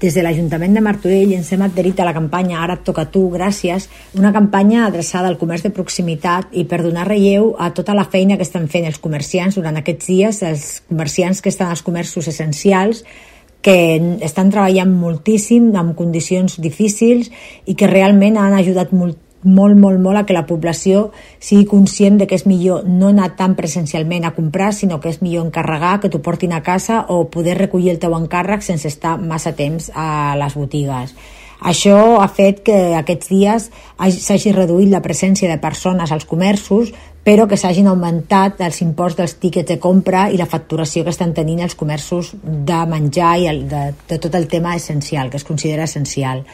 des de l'Ajuntament de Martorell ens hem adherit a la campanya Ara et toca a tu, gràcies, una campanya adreçada al comerç de proximitat i per donar relleu a tota la feina que estan fent els comerciants durant aquests dies, els comerciants que estan als comerços essencials, que estan treballant moltíssim, amb condicions difícils i que realment han ajudat molt a que la població sigui conscient de que és millor no anar tan presencialment a comprar, sinó que és millor encarregar, que t'ho portin a casa o poder recollir el teu encàrrec sense estar massa temps a les botigues. Això ha fet que aquests dies s'hagi reduït la presència de persones als comerços, però que s'hagin augmentat els imports dels tíquets de compra i la facturació que estan tenint els comerços de menjar i de tot el tema essencial, que es considera essencial.